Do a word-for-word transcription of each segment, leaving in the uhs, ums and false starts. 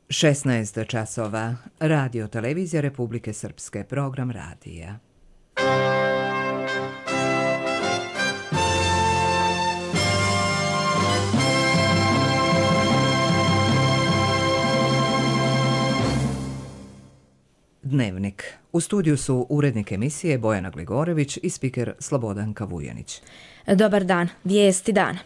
šesnaest časova. Radio Televizija Republike Srpske. Program radija. Dnevnik. U studiju su urednik emisije Bojana Gligorević i spiker Slobodanka Vujanić. Dobar dan. Vijesti dana.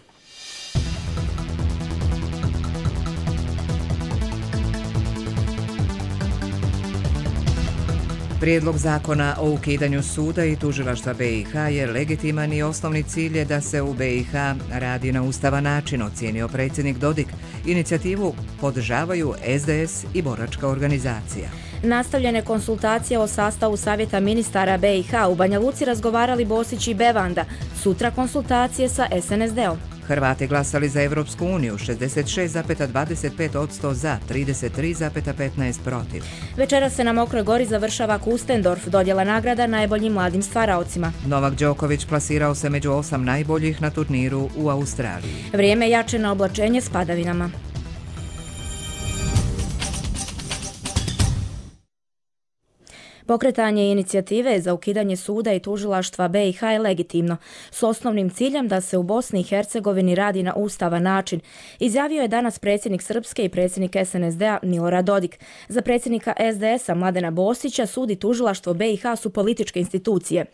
Prijedlog zakona o ukidanju suda i tužilaštva B i H je legitiman i osnovni cilj je da se u B i H radi na ustavan način, ocijenio predsjednik Dodik. Inicijativu podržavaju S D S i boračka organizacija. Nastavljene konsultacije o sastavu Savjeta ministara B i H u Banja Luci razgovarali Bosić i Bevanda. Sutra konsultacije sa S N S D-om. Hrvati glasali za Evropsku uniju, šezdeset šest zarez dvadeset pet posto za, trideset tri zarez petnaest protiv. Večera se na Mokroj Gori završava Kustendorf, dodjela nagrada najboljim mladim stvaraocima. Novak Đoković plasirao se među osam najboljih na turniru u Australiji. Vrijeme jače na oblačenje s padavinama. Pokretanje inicijative za ukidanje suda i tužilaštva B i H je legitimno, s osnovnim ciljem da se u Bosni i Hercegovini radi na ustavan način, izjavio je danas predsjednik Srpske i predsjednik S N S D-a Milorad Dodik. Za predsjednika S D S-a Mladena Bosića sud i tužilaštvo B i H su političke institucije.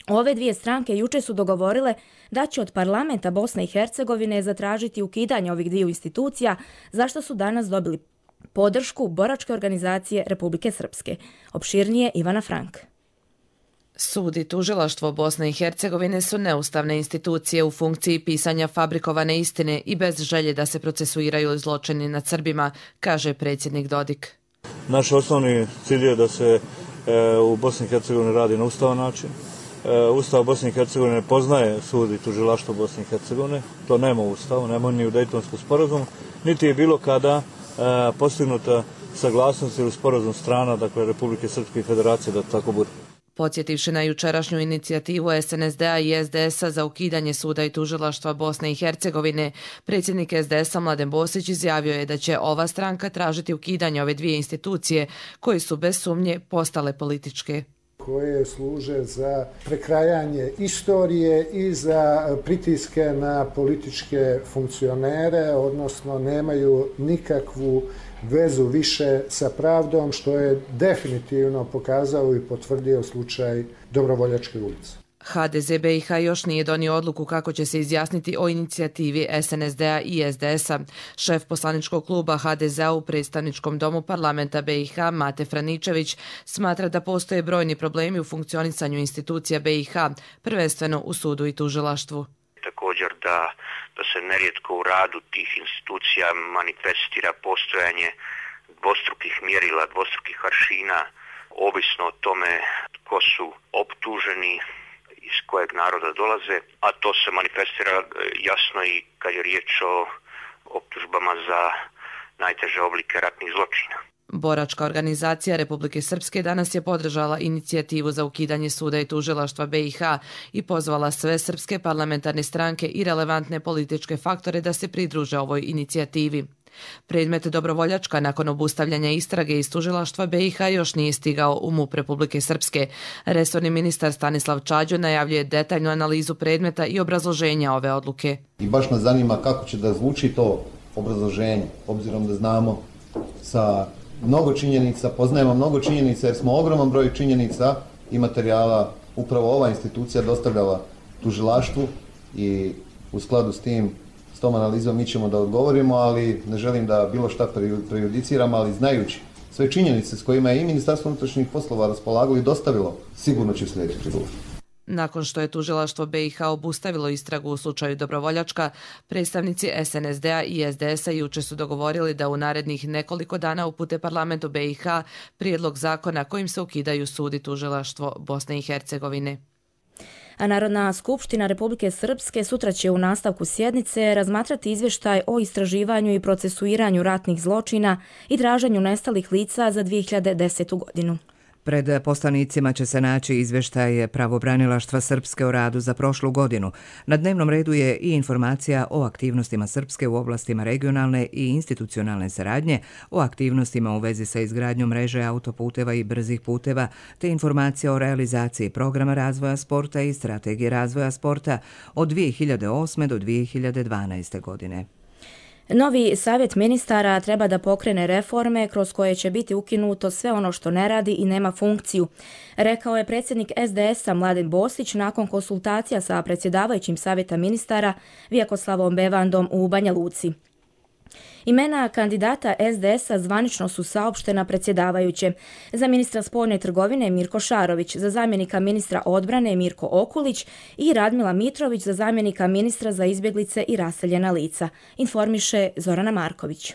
Ove dvije stranke jučer su dogovorile da će od parlamenta Bosne i Hercegovine zatražiti ukidanje ovih dviju institucija, zašto su danas dobili podršku boračke organizacije Republike Srpske. Opširnije Ivana Frank. Sud i tužilaštvo Bosne i Hercegovine su neustavne institucije u funkciji pisanja fabrikovane istine i bez želje da se procesuiraju zločini nad Srbima, kaže predsjednik Dodik. Naš osnovni cilj je da se e, u Bosni i Hercegovini radi na ustavan način. E, Ustav Bosne i Hercegovine poznaje sud i tužilaštvo Bosne i Hercegovine. To nema u Ustavu, nema ni u Dejtonskom sporazumu, niti je bilo kada e, postignuta saglasnost ili sporazum strana, dakle Republike Srpske i Federacije, da tako bude. Podsjetivši na jučerašnju inicijativu S N S D-a i S D S-a za ukidanje suda i tužilaštva Bosne i Hercegovine, predsjednik S D S-a Mladen Bosić izjavio je da će ova stranka tražiti ukidanje ove dvije institucije koje su bez sumnje postale političke. Koje služe za prekrajanje istorije i za pritiske na političke funkcionere, odnosno nemaju nikakvu vezu više sa pravdom, što je definitivno pokazao i potvrdio slučaj Dobrovoljačke ulice. H D Z B i H još nije donio odluku kako će se izjasniti o inicijativi S N S D-a i S D S-a. Šef poslaničkog kluba H D Z-a u predstavničkom domu parlamenta B i H, Mate Franičević, smatra da postoje brojni problemi u funkcionisanju institucija B i H, prvenstveno u sudu i tužilaštvu. Također da, da se nerijetko u radu tih institucija manifestira postojanje dvostrukih mjerila, dvostrukih aršina, ovisno o tome tko su optuženi, iz kojeg naroda dolaze, a to se manifestira jasno i kad je riječ o optužbama za najteže oblike ratnih zločina. Boračka organizacija Republike Srpske danas je podržala inicijativu za ukidanje suda i tužilaštva B i H i pozvala sve srpske parlamentarne stranke i relevantne političke faktore da se pridruže ovoj inicijativi. Predmet Dobrovoljačka nakon obustavljanja istrage iz tužilaštva B i H još nije stigao u MUP Republike Srpske. Resorni ministar Stanislav Čađo najavljuje detaljnu analizu predmeta i obrazloženja ove odluke. I baš nas zanima kako će da zvuči to obrazloženje, obzirom da znamo sa mnogo činjenica, poznajemo mnogo činjenica jer smo ogroman broj činjenica i materijala upravo ova institucija dostavljala tužilaštvu i u skladu s tim, s tom analizom mi ćemo da odgovorimo, ali ne želim da bilo šta prejudiciram, ali znajući sve činjenice s kojima je i Ministarstvo unutrašnjih poslova raspolagalo i dostavilo, sigurno će sljedeći prigovor. Nakon što je tužilaštvo B i H obustavilo istragu u slučaju Dobrovoljačka, predstavnici S N S D-a i S D S-a jučer su dogovorili da u narednih nekoliko dana upute parlamentu B i H prijedlog zakona kojim se ukidaju sud i tužilaštvo Bosne i Hercegovine. A Narodna skupština Republike Srpske sutra će u nastavku sjednice razmatrati izvještaj o istraživanju i procesuiranju ratnih zločina i traženju nestalih lica za dvije hiljade desetu godinu. Pred poslanicima će se naći izvještaj Pravobranilaštva Srpske o radu za prošlu godinu. Na dnevnom redu je i informacija o aktivnostima Srpske u oblastima regionalne i institucionalne saradnje, o aktivnostima u vezi sa izgradnjom mreže autoputeva i brzih puteva, te informacija o realizaciji programa razvoja sporta i strategije razvoja sporta od dvije hiljade osme do dvije hiljade dvanaeste. godine. Novi savjet ministara treba da pokrene reforme kroz koje će biti ukinuto sve ono što ne radi i nema funkciju, rekao je predsjednik S D S-a Mladen Bosić nakon konsultacija sa predsjedavajućim savjeta ministara Vjekoslavom Bevandom u Banja Luci. Imena kandidata S D S-a zvanično su saopštena predsjedavajuće. Za ministra spoljne trgovine Mirko Šarović, za zamjenika ministra odbrane Mirko Okulić i Radmila Mitrović za zamjenika ministra za izbjeglice i raseljena lica, informiše Zorana Marković.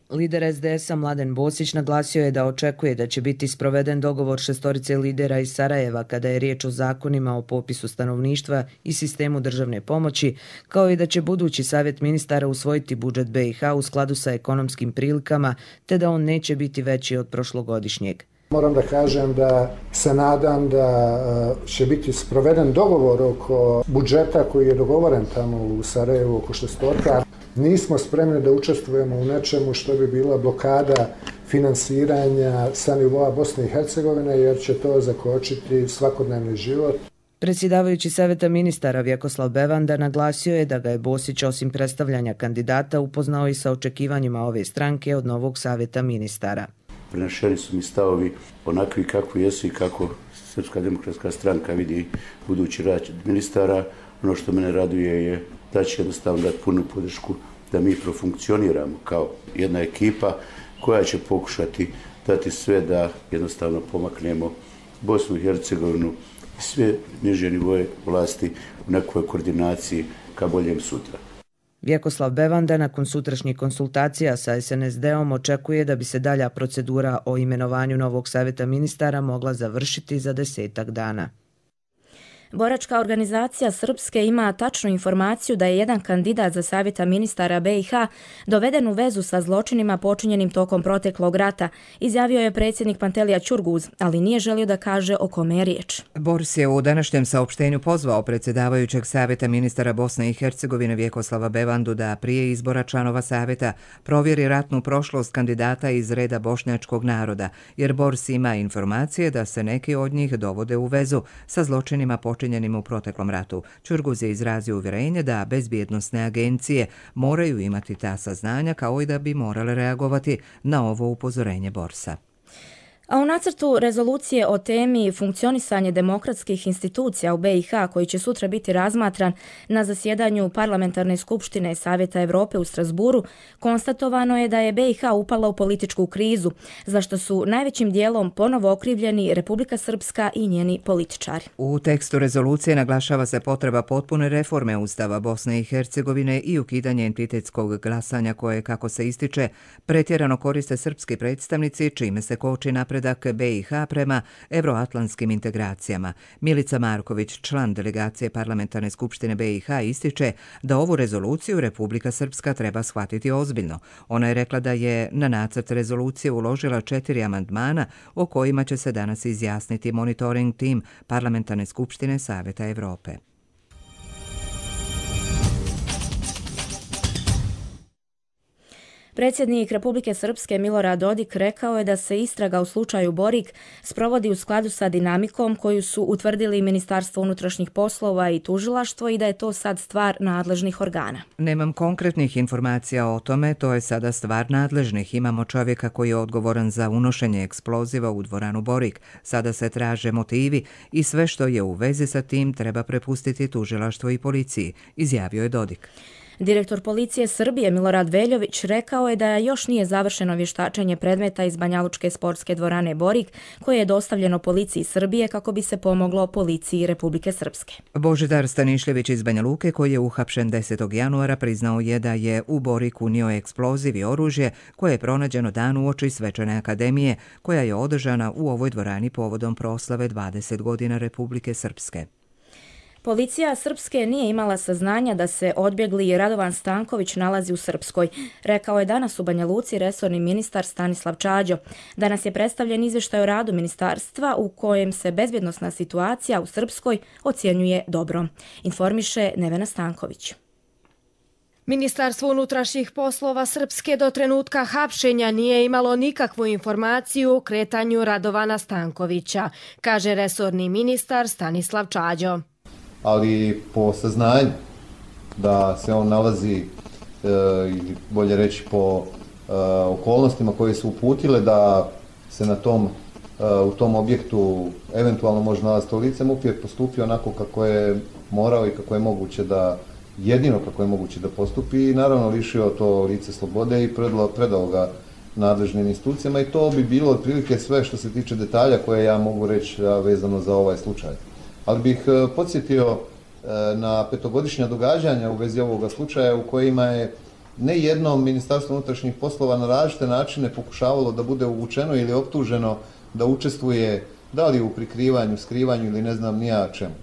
Lider S D S-a Mladen Bosić naglasio je da očekuje da će biti sproveden dogovor šestorice lidera iz Sarajeva kada je riječ o zakonima o popisu stanovništva i sistemu državne pomoći, kao i da će budući savjet ministara usvojiti budžet B i H u skladu sa ekonomskim prilikama, te da on neće biti veći od prošlogodišnjeg. Moram da kažem da se nadam da će biti sproveden dogovor oko budžeta koji je dogovoren tamo u Sarajevu oko šestorka. Nismo spremni da učestvujemo u nečemu što bi bila blokada finansiranja sa nivoa Bosne i Hercegovine, jer će to zakočiti svakodnevni život. Predsjedavajući savjeta ministara Vjekoslav Bevanda naglasio je da ga je Bosić osim predstavljanja kandidata upoznao i sa očekivanjima ove stranke od novog savjeta ministara. Prenašeni su mi stavovi onakvi kakvi jesu i kako Srpska demokratska stranka vidi budući rad ministara. Ono što mene raduje je da će jednostavno dati punu podršku da mi profunkcioniramo kao jedna ekipa koja će pokušati dati sve da jednostavno pomaknemo Bosnu i Hercegovinu i sve niže nivoje vlasti u nekoj koordinaciji ka boljem sutra. Vjekoslav Bevanda nakon sutrašnjih konsultacija sa S N S D-om očekuje da bi se dalja procedura o imenovanju novog savjeta ministara mogla završiti za desetak dana. Boračka organizacija Srpske ima tačnu informaciju da je jedan kandidat za savjeta ministara B i H doveden u vezu sa zločinima počinjenim tokom proteklog rata, izjavio je predsjednik Pantelija Ćurguz, ali nije želio da kaže o kome je riječ. Bors je u današnjem saopštenju pozvao predsjedavajućeg savjeta ministara Bosne i Hercegovine Vjekoslava Bevandu da prije izbora članova savjeta provjeri ratnu prošlost kandidata iz reda bošnjačkog naroda, jer Bors ima informacije da se neki od njih dovode u vezu sa zločinima počinjenim u proteklom ratu. Ćurguz je izrazio uvjerenje da bezbjednosne agencije moraju imati ta saznanja kao i da bi morale reagovati na ovo upozorenje Borsa. A u nacrtu rezolucije o temi funkcionisanje demokratskih institucija u B i H, koji će sutra biti razmatran na zasjedanju Parlamentarne skupštine Savjeta Evrope u Strasburu, konstatovano je da je B i H upala u političku krizu, za što su najvećim dijelom ponovo okrivljeni Republika Srpska i njeni političari. U tekstu rezolucije naglašava se potreba potpune reforme Ustava Bosne i Hercegovine i ukidanje entitetskog glasanja koje, kako se ističe, pretjerano koriste srpski predstavnici, čime se koči napred B i H prema evroatlantskim integracijama. Milica Marković, član delegacije Parlamentarne skupštine B i H, ističe da ovu rezoluciju Republika Srpska treba shvatiti ozbiljno. Ona je rekla da je na nacrt rezolucije uložila četiri amandmana o kojima će se danas izjasniti monitoring tim Parlamentarne skupštine Savjeta Evrope. Predsjednik Republike Srpske Milorad Dodik rekao je da se istraga u slučaju Borik sprovodi u skladu sa dinamikom koju su utvrdili Ministarstvo unutrašnjih poslova i tužilaštvo i da je to sad stvar nadležnih organa. Nemam konkretnih informacija o tome, to je sada stvar nadležnih. Imamo čovjeka koji je odgovoran za unošenje eksploziva u dvoranu Borik. Sada se traže motivi i sve što je u vezi sa tim treba prepustiti tužilaštvu i policiji, izjavio je Dodik. Direktor policije Srbije Milorad Veljović rekao je da još nije završeno vještačenje predmeta iz Banjalučke sportske dvorane Borik, koje je dostavljeno policiji Srbije kako bi se pomoglo policiji Republike Srpske. Božidar Stanišljević iz Banja Luke, koji je uhapšen desetog januara, priznao je da je u Borik unio eksploziv i oružje koje je pronađeno dan uoči svečane akademije koja je održana u ovoj dvorani povodom proslave dvadeset godina Republike Srpske. Policija Srpske nije imala saznanja da se odbjegli Radovan Stanković nalazi u Srpskoj, rekao je danas u Banja Luci resorni ministar Stanislav Čađo. Danas je predstavljen izvještaj o radu ministarstva u kojem se bezbjednosna situacija u Srpskoj ocjenjuje dobro. Informiše Nevena Stanković. Ministarstvo unutrašnjih poslova Srpske do trenutka hapšenja nije imalo nikakvu informaciju o kretanju Radovana Stankovića, kaže resorni ministar Stanislav Čađo. Ali po saznanju da se on nalazi, ili bolje reći po okolnostima koje su uputile da se na tom, u tom objektu eventualno može nalaziti lice, MUP je postupio onako kako je morao i kako je moguće da jedino kako je moguće da postupi i naravno lišio to lice slobode i predao, predao ga nadležnim institucijama i to bi bilo otprilike sve što se tiče detalja koje ja mogu reći vezano za ovaj slučaj. Ali bih podsjetio na petogodišnja događanja u vezi ovoga slučaja u kojima je ne jednom Ministarstvo unutrašnjih poslova na različite načine pokušavalo da bude uvučeno ili optuženo da učestvuje da li u prikrivanju, skrivanju ili ne znam ni ja čemu.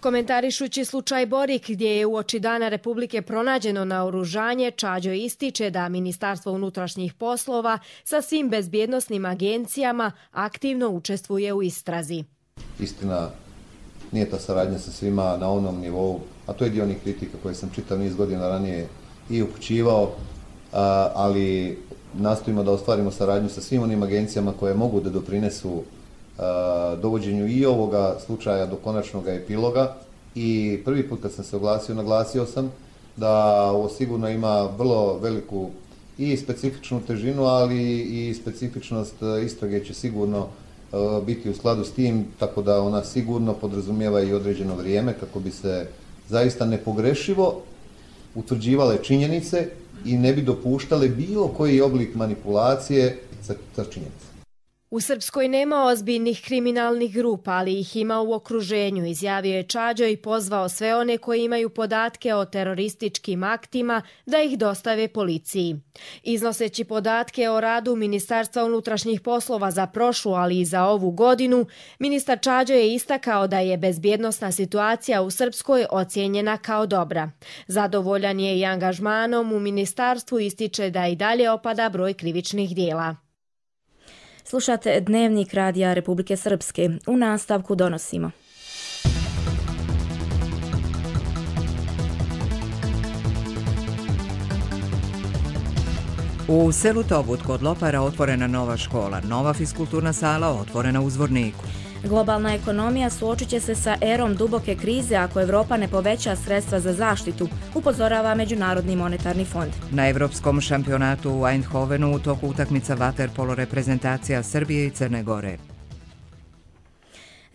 Komentarišući slučaj Borik, gdje je uoči Dana Republike pronađeno naoružanje, Čađo ističe da Ministarstvo unutrašnjih poslova sa svim bezbjednosnim agencijama aktivno učestvuje u istrazi. Istina, nije ta saradnja sa svima na onom nivou, a to je dio onih kritika koje sam čitav niz godina ranije i upućivao, ali nastojimo da ostvarimo saradnju sa svim onim agencijama koje mogu da doprinesu dovođenju i ovoga slučaja do konačnog epiloga i prvi put kad sam se oglasio, naglasio sam da ovo sigurno ima vrlo veliku i specifičnu težinu, ali i specifičnost istrage će sigurno biti u skladu s tim, tako da ona sigurno podrazumijeva i određeno vrijeme kako bi se zaista nepogrešivo utvrđivale činjenice i ne bi dopuštale bilo koji oblik manipulacije sa činjenicama. U Srpskoj nema ozbiljnih kriminalnih grupa, ali ih ima u okruženju, izjavio je Čađo i pozvao sve one koji imaju podatke o terorističkim aktima da ih dostave policiji. Iznoseći podatke o radu Ministarstva unutrašnjih poslova za prošlu, ali i za ovu godinu, ministar Čađo je istakao da je bezbjednosna situacija u Srpskoj ocijenjena kao dobra. Zadovoljan je i angažmanom u ministarstvu, ističe da i dalje opada broj krivičnih dijela. Slušate Dnevnik Radija Republike Srpske. U nastavku donosimo. U selu Tobut kod Lopara otvorena nova škola, nova fiskulturna sala otvorena u Zvorniku. Globalna ekonomija suočit će se sa erom duboke krize ako Evropa ne poveća sredstva za zaštitu, upozorava Međunarodni monetarni fond. Na Evropskom šampionatu u Eindhovenu u toku utakmica vaterpolo reprezentacija Srbije i Crne Gore.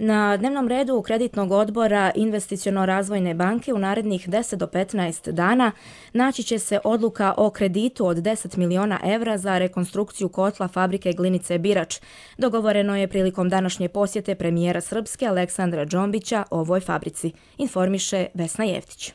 Na dnevnom redu kreditnog odbora Investiciono-razvojne banke u narednih deset do petnaest dana naći će se odluka o kreditu od deset miliona evra za rekonstrukciju kotla fabrike Glinice Birač. Dogovoreno je prilikom današnje posjete premijera Srpske Aleksandra Džombića ovoj fabrici, informiše Vesna Jeftić.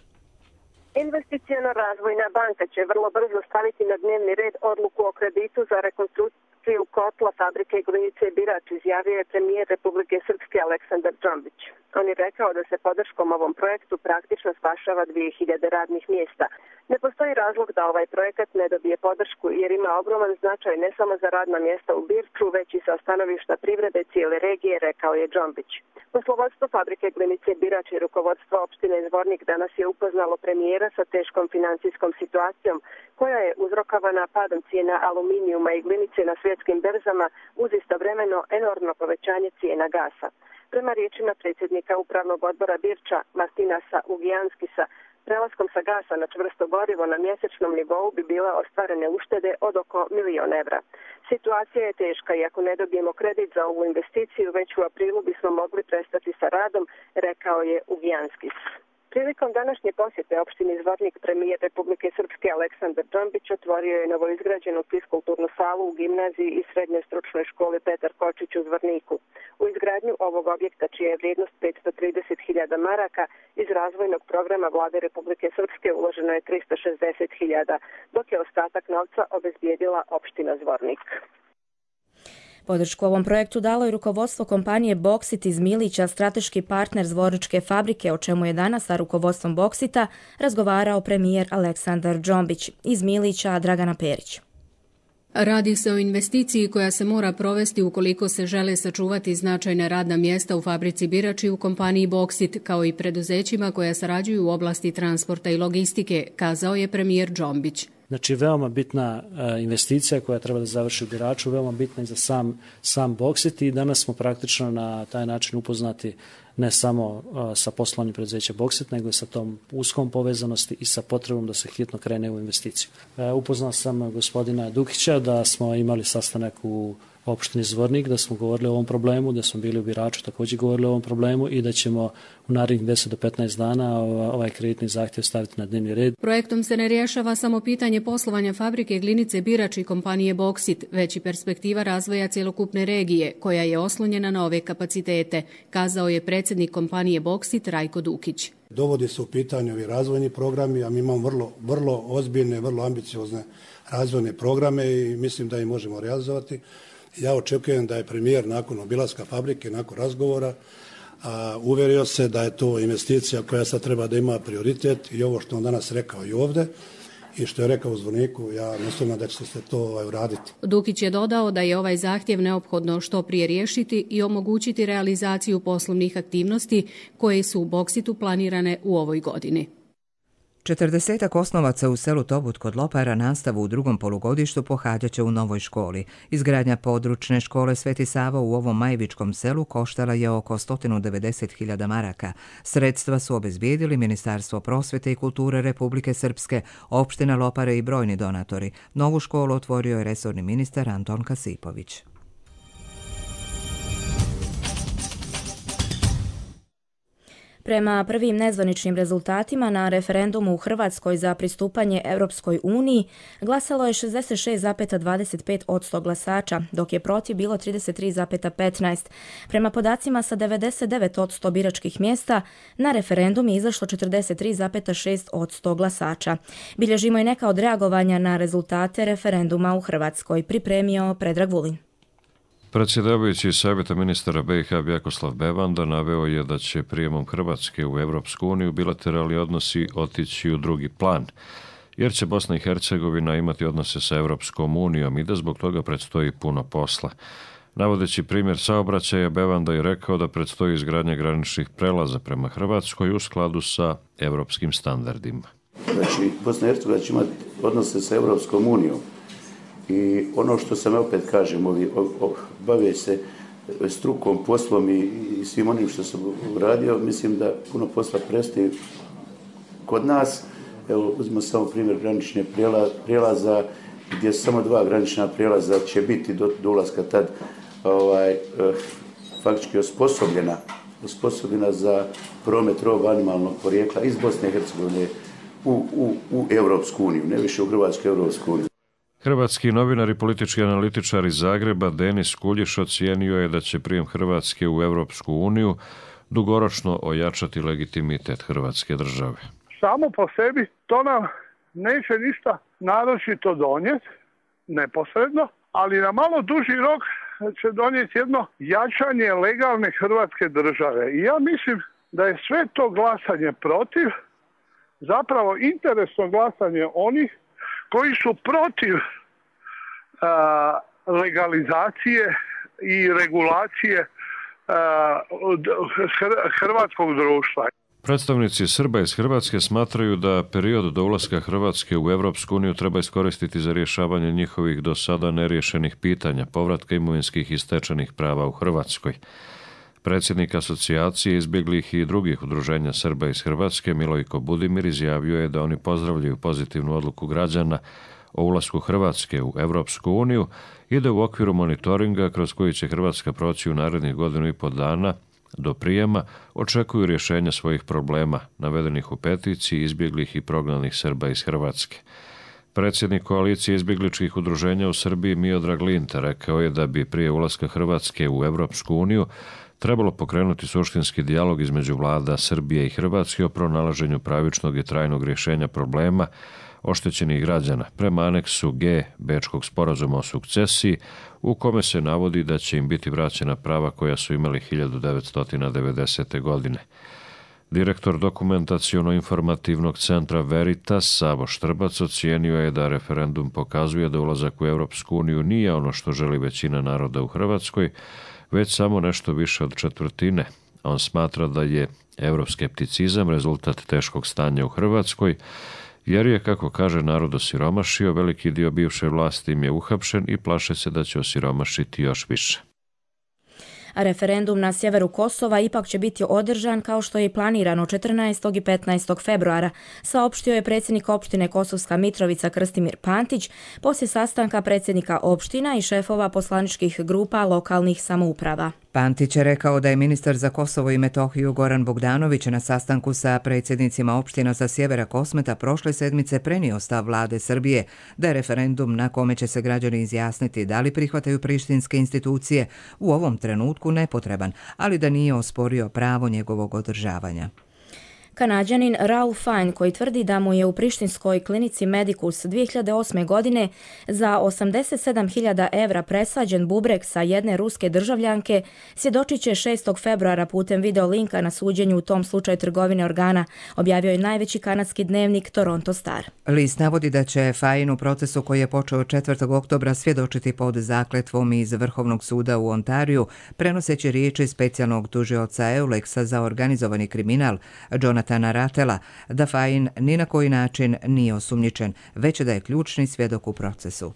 Investiciono-razvojna banka će vrlo brzo staviti na dnevni red odluku o kreditu za rekonstrukciju kotla fabrike Glinice Birač, izjavio je premijer Republike Srpske Aleksandar Džombić. On je rekao da se podrškom ovom projektu praktično spašava dvije hiljade radnih mjesta. Ne postoji razlog da ovaj projekat ne dobije podršku jer ima ogroman značaj ne samo za radna mjesta u Birču, već i sa stanovišta privrede cijele regije, rekao je Džombić. Poslovodstvo fabrike Glinice Birač i rukovodstvo opštine Zvornik danas je upoznalo premijera sa teškom financijskom situacijom koja je uzrokovana padom cijena aluminijuma i glinice na svjetskim berzama uz istovremeno enormno povećanje cijena gasa. Prema riječima predsjednika upravnog odbora Birča Martinasa Ugijanskisa, prelaskom sa gasa na čvrsto gorivo na mjesečnom nivou bi bila ostvarene uštede od oko milion evra. Situacija je teška i ako ne dobijemo kredit za ovu investiciju, već u aprilu bismo mogli prestati sa radom, rekao je Ugijanskis. Prilikom današnje posjete opštini Zvornik premijer Republike Srpske Aleksandar Džombić otvorio je novoizgrađenu fiskulturnu salu u gimnaziji i srednjoj stručnoj školi Petar Kočić u Zvorniku. U izgradnju ovog objekta, čija je vrijednost petsto trideset hiljada maraka, iz razvojnog programa Vlade Republike Srpske uloženo je tristo šezdeset hiljada, dok je ostatak novca obezbijedila opština Zvornik. Podršku ovom projektu dalo je rukovodstvo kompanije Boksit iz Milića, strateški partner Zvorničke fabrike, o čemu je danas sa rukovodstvom Boksita razgovarao premijer Aleksandar Džombić. Iz Milića Dragana Perić. Radi se o investiciji koja se mora provesti ukoliko se žele sačuvati značajna radna mjesta u fabrici Birač i u kompaniji Boksit, kao i preduzećima koja sarađuju u oblasti transporta i logistike, kazao je premijer Džombić. Znači, veoma bitna investicija koja treba da završi u Biraču, veoma bitna i za sam, sam Boksit i danas smo praktično na taj način upoznati ne samo sa poslovanjem preduzeća Boksit, nego i sa tom uskom povezanosti i sa potrebom da se hitno krene u investiciju. Upoznao sam gospodina Dukića da smo imali sastanak u opštini Zvornik, da smo govorili o ovom problemu, da smo bili u Biraču također govorili o ovom problemu i da ćemo u narednih deset do petnaest dana ovaj kreditni zahtjev staviti na dnevni red. Projektom se ne rješava samo pitanje poslovanja fabrike Glinice Birač i kompanije Boksit, već i perspektiva razvoja cjelokupne regije, koja je oslonjena na ove kapacitete, kazao je predsjednik kompanije Boksit Rajko Dukić. Dovodi se u pitanje ovi razvojni programi, a mi imamo vrlo, vrlo ozbiljne, vrlo ambiciozne razvojne programe i mislim da ih možemo realizovati. Ja očekujem da je premijer nakon obilaska fabrike, nakon razgovora, a, uvjerio se da je to investicija koja sad treba da ima prioritet i ovo što on danas rekao i ovdje i što je rekao u Zvorniku, ja ne sumnjam da će se to ovaj, uraditi. Dukić je dodao da je ovaj zahtjev neophodno što prije riješiti i omogućiti realizaciju poslovnih aktivnosti koje su u Boksitu planirane u ovoj godini. Četrdesetak osnovaca u selu Tobut kod Lopara nastavu u drugom polugodištu pohađat će u novoj školi. Izgradnja područne škole Sveti Sava u ovom majvičkom selu koštala je oko sto devedeset hiljada maraka. Sredstva su obezbijedili Ministarstvo prosvete i kulture Republike Srpske, opština Lopare i brojni donatori. Novu školu otvorio je resorni ministar Anton Kasipović. Prema prvim nezvaničnim rezultatima na referendumu u Hrvatskoj za pristupanje Europskoj uniji glasalo je šezdeset šest zarez dvadeset pet posto glasača, dok je protiv bilo trideset tri zarez petnaest. Prema podacima sa devedeset devet posto biračkih mjesta, na referendum je izašlo četrdeset tri zarez šest posto glasača. Bilježimo i neka odreagovanja na rezultate referenduma u Hrvatskoj, pripremio Predrag Vulin. Predsjedavajući Savjeta ministara B i H Vjakoslav Bevanda naveo je da će prijemom Hrvatske u Europsku uniju bilateralni odnosi otići u drugi plan, jer će Bosna i Hercegovina imati odnose sa Europskom unijom i da zbog toga predstoji puno posla. Navodeći primjer saobraćaja, Bevanda je rekao da predstoji izgradnja graničnih prelaza prema Hrvatskoj u skladu sa europskim standardima. Znači, Bosna i Hercegovina će imati odnose sa Europskom unijom. I ono što sam opet kažem, ovi, o, o, bave se strukom, poslom i, i svim onim što sam uradio, mislim da puno posla prestaje kod nas. Evo, uzmimo samo primjer granične prijelaza, gdje samo dva granična prijelaza će biti do, do ulaska tad ovaj, eh, faktički osposobljena, osposobljena za promet roba animalnog porijekla iz Bosne i Hercegovine u, u, u Europsku uniju, ne više u Hrvatsku Europsku uniju. Hrvatski novinar i politički analitičar iz Zagreba Denis Kuljiš ocijenio je da će prijem Hrvatske u Europsku uniju dugoročno ojačati legitimitet Hrvatske države. Samo po sebi to nam neće ništa naročito donijeti, neposredno, ali na malo duži rok će donijeti jedno jačanje legalne Hrvatske države. I ja mislim da je sve to glasanje protiv zapravo interesno glasanje onih koji su protiv a, legalizacije i regulacije a, hrvatskog društva. Predstavnici Srba iz Hrvatske smatraju da period do ulaska Hrvatske u Europsku uniju treba iskoristiti za rješavanje njihovih do sada neriješenih pitanja, povratka imovinskih i stečenih prava u Hrvatskoj. Predsjednik asocijacije izbjeglih i drugih udruženja Srba iz Hrvatske, Milojko Budimir, izjavio je da oni pozdravljaju pozitivnu odluku građana o ulasku Hrvatske u Europsku uniju i da u okviru monitoringa kroz koji će Hrvatska proći u narednih godinu i pol dana do prijema očekuju rješenja svojih problema navedenih u peticiji izbjeglih i prognanih Srba iz Hrvatske. Predsjednik koalicije izbjegličkih udruženja u Srbiji Miodrag Linta rekao je da bi prije ulaska Hrvatske u Europsku uniju trebalo pokrenuti suštinski dijalog između vlada Srbije i Hrvatske o pronalaženju pravičnog i trajnog rješenja problema oštećenih građana prema aneksu G Bečkog sporazuma o sukcesiji, u kome se navodi da će im biti vraćena prava koja su imali hiljadu devetsto devedesete. godine. Direktor dokumentaciono-informativnog centra Veritas, Savo Štrbac, ocijenio je da referendum pokazuje da ulazak u Europsku uniju nije ono što želi većina naroda u Hrvatskoj, već samo nešto više od četvrtine. On smatra da je evroskepticizam rezultat teškog stanja u Hrvatskoj, jer je, kako kaže, narod osiromašio, veliki dio bivše vlasti im je uhapšen i plaše se da će osiromašiti još više. A referendum na sjeveru Kosova ipak će biti održan kao što je i planirano četrnaestog i petnaestog februara, saopštio je predsjednik opštine Kosovska Mitrovica Krstimir Pantić poslije sastanka predsjednika opština i šefova poslaničkih grupa lokalnih samouprava. Pantić je rekao da je ministar za Kosovo i Metohiju Goran Bogdanović na sastanku sa predsjednicima opština sa sjevera Kosmeta prošle sedmice prenio stav vlade Srbije da je referendum na kome će se građani izjasniti da li prihvataju prištinske institucije u ovom trenutku nepotreban, ali da nije osporio pravo njegovog održavanja. Kanađanin Ralph Fine, koji tvrdi da mu je u prištinskoj klinici Medicus dvije hiljade osme. godine za osamdeset sedam hiljada evra presađen bubreg sa jedne ruske državljanke, svjedočit će šestog februara putem video linka na suđenju u tom slučaju trgovine organa, objavio je najveći kanadski dnevnik Toronto Star. List navodi da će Fine u procesu koji je počeo četvrtog oktobra svjedočiti pod zakletvom iz Vrhovnog suda u Ontariju, prenoseći riječi specijalnog tužioca Euleksa za organizovani kriminal Jonathana Ratela, da Fine ni na koji način nije osumnjičen, već da je ključni svjedok u procesu.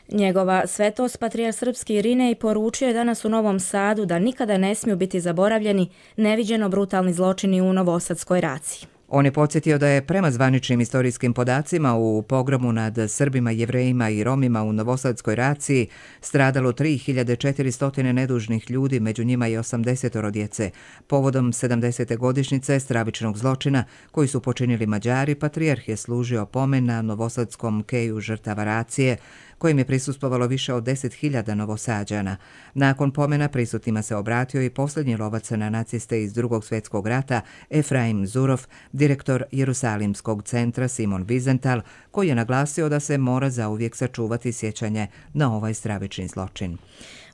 Njegova svetost patrijarh srpski Irinej poručio je danas u Novom Sadu da nikada ne smiju biti zaboravljeni neviđeno brutalni zločini u Novosadskoj raciji. On je podsjetio da je prema zvaničnim istorijskim podacima u pogromu nad Srbima, Jevrejima i Romima u Novosadskoj raciji stradalo tri hiljade četiristo nedužnih ljudi, među njima i osamdeset djece. Povodom sedamdesete godišnjice stravičnog zločina koji su počinili Mađari, patrijarh je služio pomen na novosadskom keju žrtava racije, kojim je prisustvovalo više od deset hiljada Novosađana. Nakon pomena prisutnima se obratio i posljednji lovac na naciste iz Drugog svjetskog rata, Efraim Zurov, direktor Jerusalimskog centra Simon Wiesenthal, koji je naglasio da se mora zauvijek sačuvati sjećanje na ovaj stravični zločin.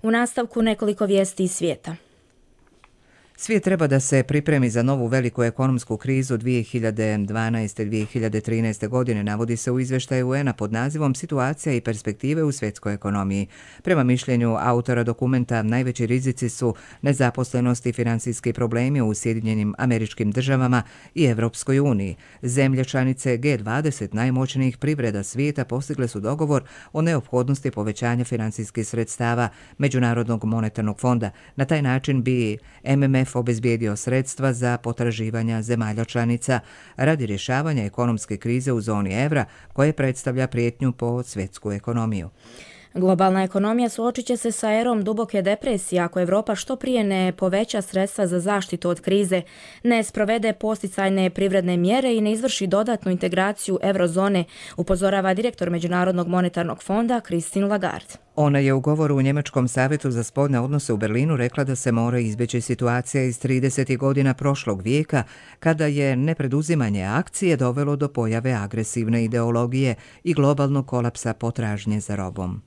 U nastavku nekoliko vijesti iz svijeta. Svijet treba da se pripremi za novu veliku ekonomsku krizu dvije hiljade dvanaeste do dvije hiljade trinaeste. godine, navodi se u izvještaju U N-a pod nazivom Situacija i perspektive u svjetskoj ekonomiji. Prema mišljenju autora dokumenta, najveći rizici su nezaposlenost i financijski problemi u Sjedinjenim Američkim Državama i Evropskoj uniji. Zemlje članice G dvadeset najmoćnijih privreda svijeta postigle su dogovor o neophodnosti povećanja financijskih sredstava Međunarodnog monetarnog fonda. Na taj način bi M M F obezbijedio sredstva za potraživanja zemalja članica radi rješavanja ekonomske krize u zoni evra, koje predstavlja prijetnju po svjetsku ekonomiju. Globalna ekonomija suočit će se sa erom duboke depresije ako Evropa što prije ne poveća sredstva za zaštitu od krize, ne sprovede posticajne privredne mjere i ne izvrši dodatnu integraciju eurozone, upozorava direktor Međunarodnog monetarnog fonda Christine Lagarde. Ona je u govoru u Njemačkom savjetu za spoljne odnose u Berlinu rekla da se mora izbjeći situacija iz tridesetih godina prošlog vijeka, kada je nepreduzimanje akcije dovelo do pojave agresivne ideologije i globalnog kolapsa potražnje za robom.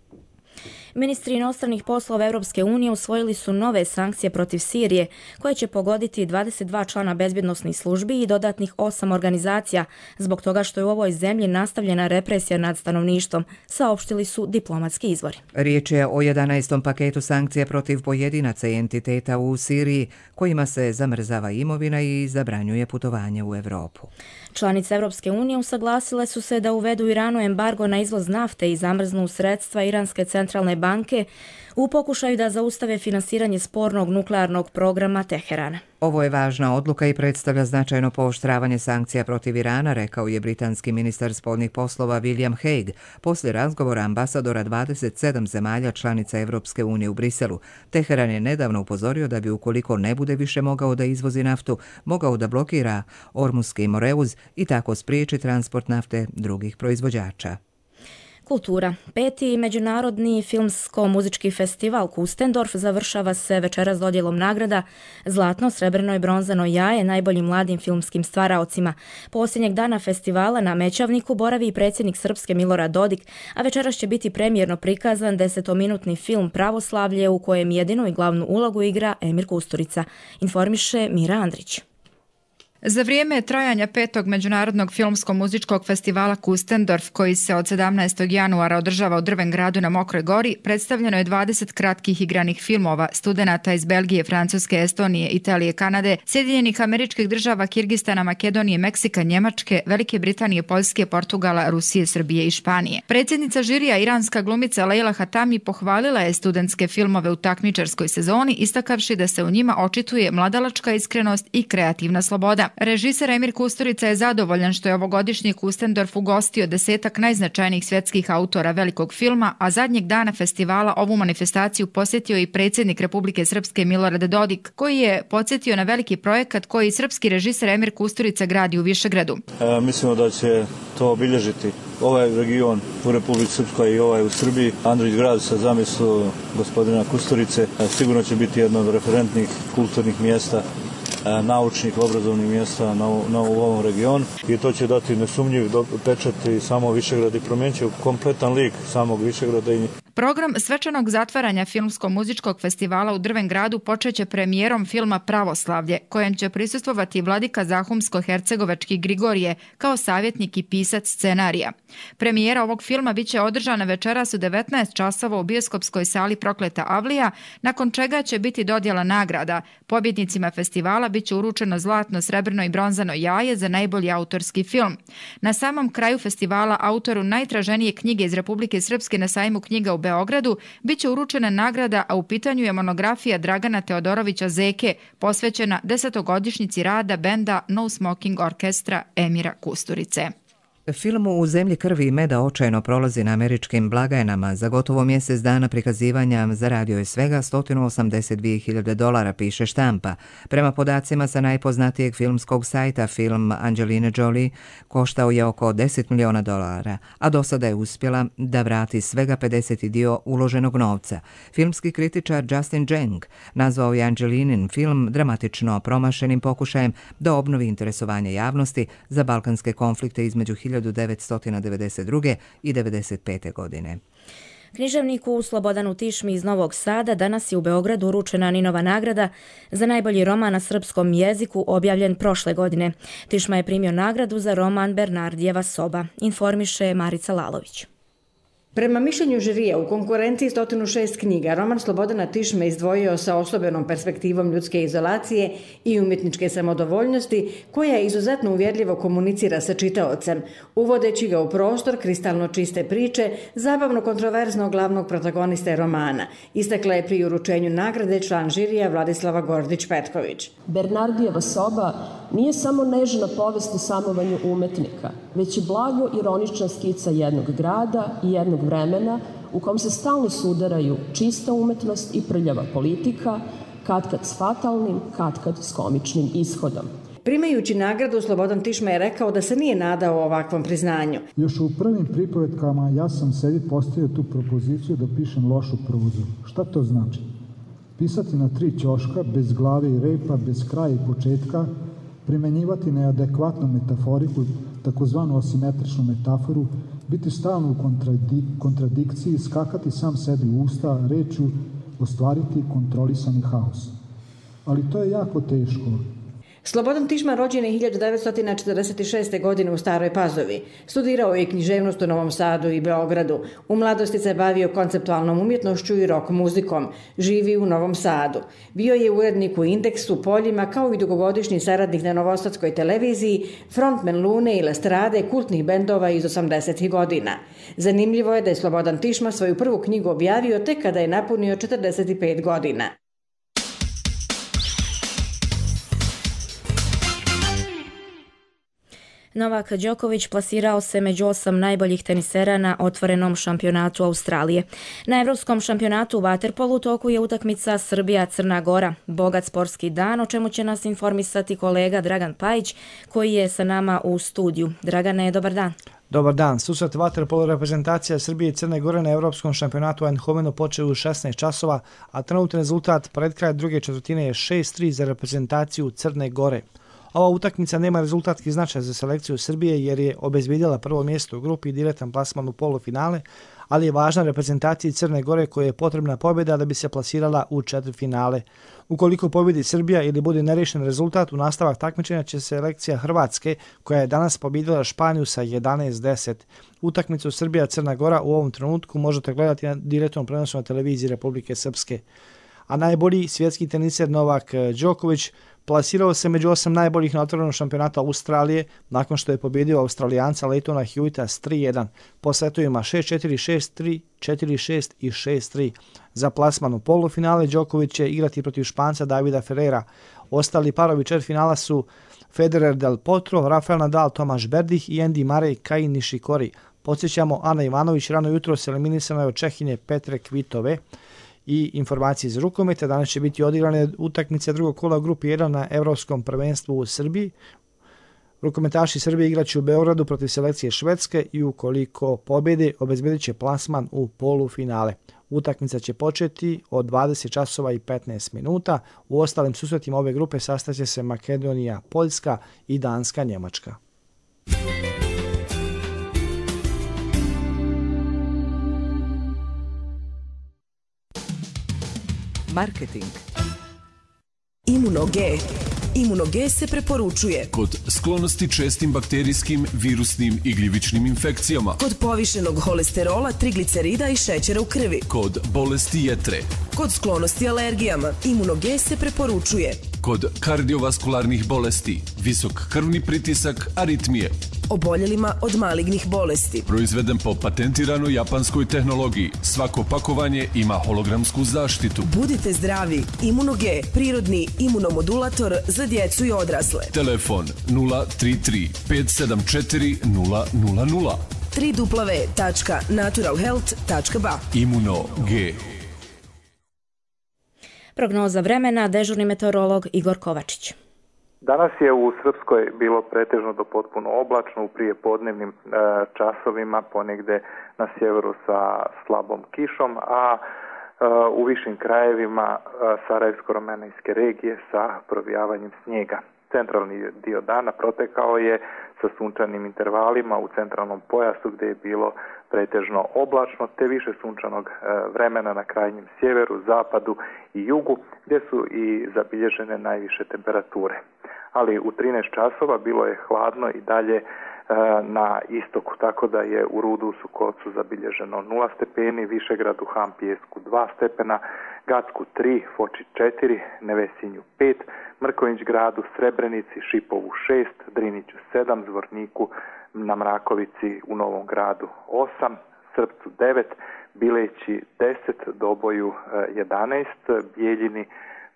Ministri inostranih poslova Europske unije usvojili su nove sankcije protiv Sirije, koje će pogoditi dvadeset dva člana bezbjednosnih službi i dodatnih osam organizacija, zbog toga što je u ovoj zemlji nastavljena represija nad stanovništvom, saopštili su diplomatski izvori. Riječ je o jedanaestom paketu sankcija protiv pojedinaca i entiteta u Siriji, kojima se zamrzava imovina i zabranjuje putovanje u Europu. Članice Europske unije usaglasile su se da uvedu Iranu embargo na izvoz nafte i zamrznu sredstva Iranske centralne banke u pokušaju da zaustave finansiranje spornog nuklearnog programa Teherana. Ovo je važna odluka i predstavlja značajno pooštravanje sankcija protiv Irana, rekao je britanski ministar spoljnih poslova William Hague poslije razgovora ambasadora dvadeset sedam zemalja članica Europske unije u Briselu. Teheran je nedavno upozorio da bi, ukoliko ne bude više mogao da izvozi naftu, mogao da blokira Ormuski moreuz i tako spriječi transport nafte drugih proizvođača. Kultura. Peti međunarodni filmsko-muzički festival Kustendorf završava se večeras dodjelom nagrada Zlatno, srebrno i bronzano jaje najboljim mladim filmskim stvaraocima. Posljednjeg dana festivala na Mećavniku boravi i predsjednik Srpske Milorad Dodik, a večeras će biti premijerno prikazan desetominutni film Pravoslavlje u kojem jedinu i glavnu ulogu igra Emir Kusturica, informiše Mira Andrić. Za vrijeme trajanja petog međunarodnog filmsko-muzičkog festivala Kustendorf, koji se od sedamnaestog januara održava u Drvengradu na Mokroj gori, predstavljeno je dvadeset kratkih igranih filmova studenata iz Belgije, Francuske, Estonije, Italije, Kanade, Sjedinjenih Američkih Država, Kirgistana, Makedonije, Meksika, Njemačke, Velike Britanije, Poljske, Portugala, Rusije, Srbije i Španije. Predsjednica žirija, iranska glumica Leila Hatami, pohvalila je studentske filmove u takmičarskoj sezoni, istakavši da se u njima očituje mladalačka iskrenost i kreativna sloboda. Režiser Emir Kusturica je zadovoljan što je ovogodišnji Kustendorf ugostio desetak najznačajnijih svjetskih autora velikog filma, a zadnjeg dana festivala ovu manifestaciju posjetio i predsjednik Republike Srpske Milorad Dodik, koji je podsjetio na veliki projekat koji srpski režiser Emir Kusturica gradi u Višegradu. E, mislimo da će to obilježiti ovaj region u Republici Srpskoj i ovaj u Srbiji. Andrić grad sa zamislu gospodina Kusturice sigurno će biti jedno od referentnih kulturnih mjesta, naučnih, obrazovnih mjesta na, na u ovom regionu i to će dati nesumnjiv pečat i samo Višegrad i promijenit će kompletan lik samog Višegrada. I... Program svečanog zatvaranja filmsko-muzičkog festivala u Drvengradu počeće premijerom filma Pravoslavlje, kojem će prisustvovati vladika Zahumsko-Hercegovački Grigorije kao savjetnik i pisac scenarija. Premijera ovog filma biće održana večeras u devetnaest časova u bioskopskoj sali Prokleta Avlija, nakon čega će biti dodjela nagrada. Pobjednicima festivala biće uručeno zlatno, srebrno i bronzano jaje za najbolji autorski film. Na samom kraju festivala autoru najtraženije knjige iz Republike Srpske na sajmu knjiga u Beogradu biće uručena nagrada, a u pitanju je monografija Dragana Teodorovića Zeke, posvećena desetogodišnjici rada benda No Smoking Orkestra Emira Kusturice. Film U zemlji krvi i meda očajno prolazi na američkim blagajnama. Za gotovo mjesec dana prikazivanja zaradio je svega sto osamdeset dvije hiljade dolara, piše štampa. Prema podacima sa najpoznatijeg filmskog sajta, film Angelina Jolie koštao je oko deset miliona dolara, a do sada je uspjela da vrati svega pedeseti dio uloženog novca. Filmski kritičar Justin Jeng nazvao je Angelinin film dramatično promašenim pokušajem da obnovi interesovanje javnosti za balkanske konflikte između hiljadu devetsto devedeset druge i devedeset pete godine. Književniku Slobodanu Tišmi iz Novog Sada danas je u Beogradu uručena Ninova nagrada za najbolji roman na srpskom jeziku objavljen prošle godine. Tišma je primio nagradu za roman Bernardijeva soba, informiše Marica Lalović. Prema mišljenju žirija, u konkurenciji sto šest knjiga, roman Slobodana Tišme izdvojio sa osobenom perspektivom ljudske izolacije i umjetničke samodovoljnosti, koja izuzetno uvjerljivo komunicira sa čitaocem, uvodeći ga u prostor kristalno čiste priče, zabavno kontroverznog glavnog protagoniste romana, istakla je pri uručenju nagrade član žirija Vladislava Gordić-Petković. Bernardijeva soba nije samo nežna povest o samovanju umetnika, već i blago ironična skica jednog grada i jednog vremena u kom se stalno sudaraju čista umetnost i prljava politika, katkad s fatalnim, katkad s komičnim ishodom. Primajući nagradu, Slobodan Tišma je rekao da se nije nadao ovakvom priznanju. Još u prvim pripovetkama ja sam sebi postavio tu propoziciju da pišem lošu prozu. Šta to znači? Pisati na tri ćoška, bez glave i repa, bez kraja i početka, primenjivati neadekvatnu metaforiku, takozvanu asimetričnu metaforu, biti stalno u kontradik kontradikciji, skakati sam sebi u usta, rečju, ostvariti kontrolisani haos. Ali to je jako teško. Slobodan Tišma rođen je hiljadu devetsto četrdeset šeste. godine u Staroj Pazovi. Studirao je književnost u Novom Sadu i Beogradu. U mladosti se bavio konceptualnom umjetnošću i rock muzikom. Živi u Novom Sadu. Bio je urednik u Indeksu, Poljima, kao i dugogodišnji saradnik na Novosadskoj televiziji, frontman Lune i Lestrade, kultnih bendova iz osamdesetih godina. Zanimljivo je da je Slobodan Tišma svoju prvu knjigu objavio tek kada je napunio četrdeset pet godina. Novak Đoković plasirao se među osam najboljih tenisera na otvorenom šampionatu Australije. Na Evropskom šampionatu u vaterpolu u toku je utakmica Srbija-Crna Gora. Bogat sportski dan, o čemu će nas informisati kolega Dragan Pajić, koji je sa nama u studiju. Dragane, dobar dan. Dobar dan. Susret vaterpolo reprezentacija Srbije i Crne Gore na Evropskom šampionatu u Eindhovenu počeo u šesnaest časova, a trenutni rezultat pred kraj druge četvrtine je šest tri za reprezentaciju Crne Gore. Ova utakmica nema rezultatski značaj za selekciju Srbije jer je obezbedila prvo mjesto u grupi i direktan plasman u polufinale, ali je važna reprezentaciji Crne Gore koja je potrebna pobjeda da bi se plasirala u četvrtfinale. Ukoliko pobjedi Srbija ili bude nerešen rezultat, u nastavak takmičenja će selekcija Hrvatske, koja je danas pobjedila Španiju sa jedanaest deset. Utakmicu Srbija-Crna Gora u ovom trenutku možete gledati na direktnom prenosu na televiziji Republike Srpske. A najbolji svjetski teniser Novak Đoković plasirao se među osam najboljih na otvorenom šampionatu Australije nakon što je pobjedio Australijanca Leitona Hewita s tri jedan po setovima šest četiri, šest tri, četiri šest i šest tri. Za plasman u polufinale Đoković će igrati protiv Španca Davida Ferrera. Ostali parovi četvrtfinala su Federer Del Potro, Rafael Nadal, Tomaš Berdih i Andy Murray, Kei Nishikori. Podsjećamo, Ana Ivanović rano jutro se eliminisana je od Čehinje Petre Kvitove. I informacije iz rukometa. Danas će biti odigrane utakmice drugog kola u grupi jedan na Evropskom prvenstvu u Srbiji. Rukometaši Srbije igraće u Beogradu protiv selekcije Švedske i ukoliko pobjede obezbedit će plasman u polufinale. Utakmica će početi od dvadeset časova i petnaest minuta. U ostalim susretima ove grupe sastaće se Makedonija, Poljska i Danska, Njemačka. Marketing. Imuno-G. Imuno-G se preporučuje kod sklonosti čestim bakterijskim, virusnim i gljivičnim infekcijama, kod povišenog holesterola, triglicerida i šećera u krvi, kod bolesti jetre, kod sklonosti alergijama. Imuno-G se preporučuje kod kardiovaskularnih bolesti, visok krvni pritisak, aritmije, oboljelima od malignih bolesti. Proizveden po patentiranoj japanskoj tehnologiji. Svako pakovanje ima hologramsku zaštitu. Budite zdravi. Imuno-G, prirodni imunomodulator za djecu i odrasle. Telefon nula tri tri pet sedam četiri nula nula nula. w w w tačka natural health tačka b a. Imuno-G. Prognoza vremena, dežurni meteorolog Igor Kovačić. Danas je u Srpskoj bilo pretežno do potpuno oblačno u prijepodnevnim e, časovima, ponegde na sjeveru sa slabom kišom, a e, u višim krajevima e, Sarajevsko-Romanijske regije sa provijavanjem snijega. Centralni dio dana protekao je sa sunčanim intervalima u centralnom pojasu gdje je bilo pretežno oblačno, te više sunčanog vremena na krajnjem sjeveru, zapadu i jugu, gdje su i zabilježene najviše temperature. Ali u trinaest časova bilo je hladno i dalje na istoku, tako da je u Rudusu Kocu zabilježeno nula stepeni, Višegradu, Hampijesku dva stepena, Gacku tri, Foči četiri, Nevesinju pet, Mrković gradu, Srebrenici, Šipovu šest, Driniću sedam, Zvorniku na Mrakovici u Novom gradu osam, Srpcu devet, Bileći deset, Doboju jedanaest, Bijeljini,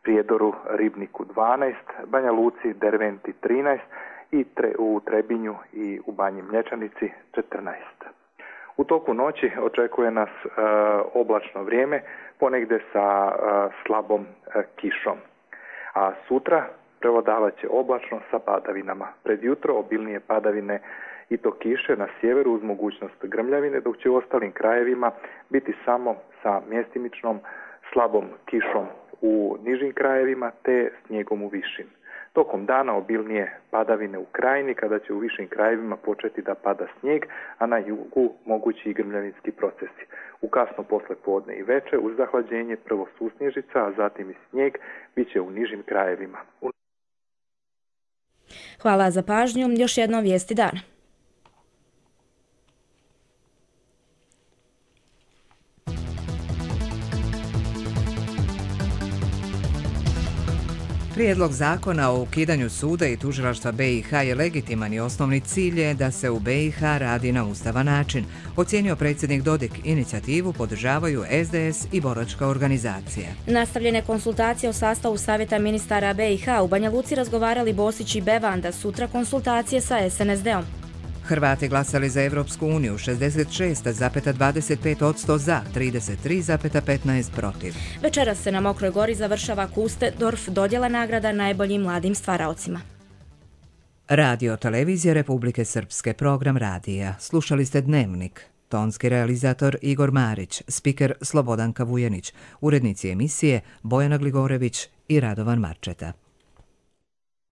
Prijedoru, Ribniku dvanaest, Banja Luci, Derventi trinaest i tre, u Trebinju i u Banji Mlječanici četrnaest. U toku noći očekuje nas e, oblačno vrijeme, ponegde sa e, slabom e, kišom. A sutra prevladavat će oblačno sa padavinama. Pred jutro obilnije padavine i to kiše na sjeveru uz mogućnost grmljavine, dok će u ostalim krajevima biti samo sa mjestimičnom slabom kišom u nižim krajevima te snijegom u višim. Tokom dana obilnije padavine u krajini, kada će u višim krajevima početi da pada snijeg, a na jugu mogući i grmljavinski procesi. U kasno posle podne i veče uz zahlađenje prvo susnježica, a zatim i snijeg, bit će u nižim krajevima. Hvala za pažnju. Još jedno vijesti dana. Prijedlog zakona o ukidanju suda i tužilaštva B i H je legitiman i osnovni cilj je da se u B i H radi na ustavan način, ocijenio predsjednik Dodik. Inicijativu podržavaju S D S i boračka organizacija. Nastavljene konsultacije o sastavu savjeta ministara B i H u Banja Luci razgovarali Bosić i Bevanda, sutra konsultacije sa S N S D-om. Hrvati glasali za Evropsku uniju šezdeset šest zarez dvadeset pet posto za, trideset tri zarez petnaest protiv. Večeras se na Mokroj Gori završava Kustendorf, dodjela nagrada najboljim mladim stvaraocima. Radio Televizija Republike Srpske, program radija. Slušali ste Dnevnik. Tonski realizator Igor Marić, spiker Slobodanka Vujanić, urednici emisije Bojana Gligorević i Radovan Marčeta.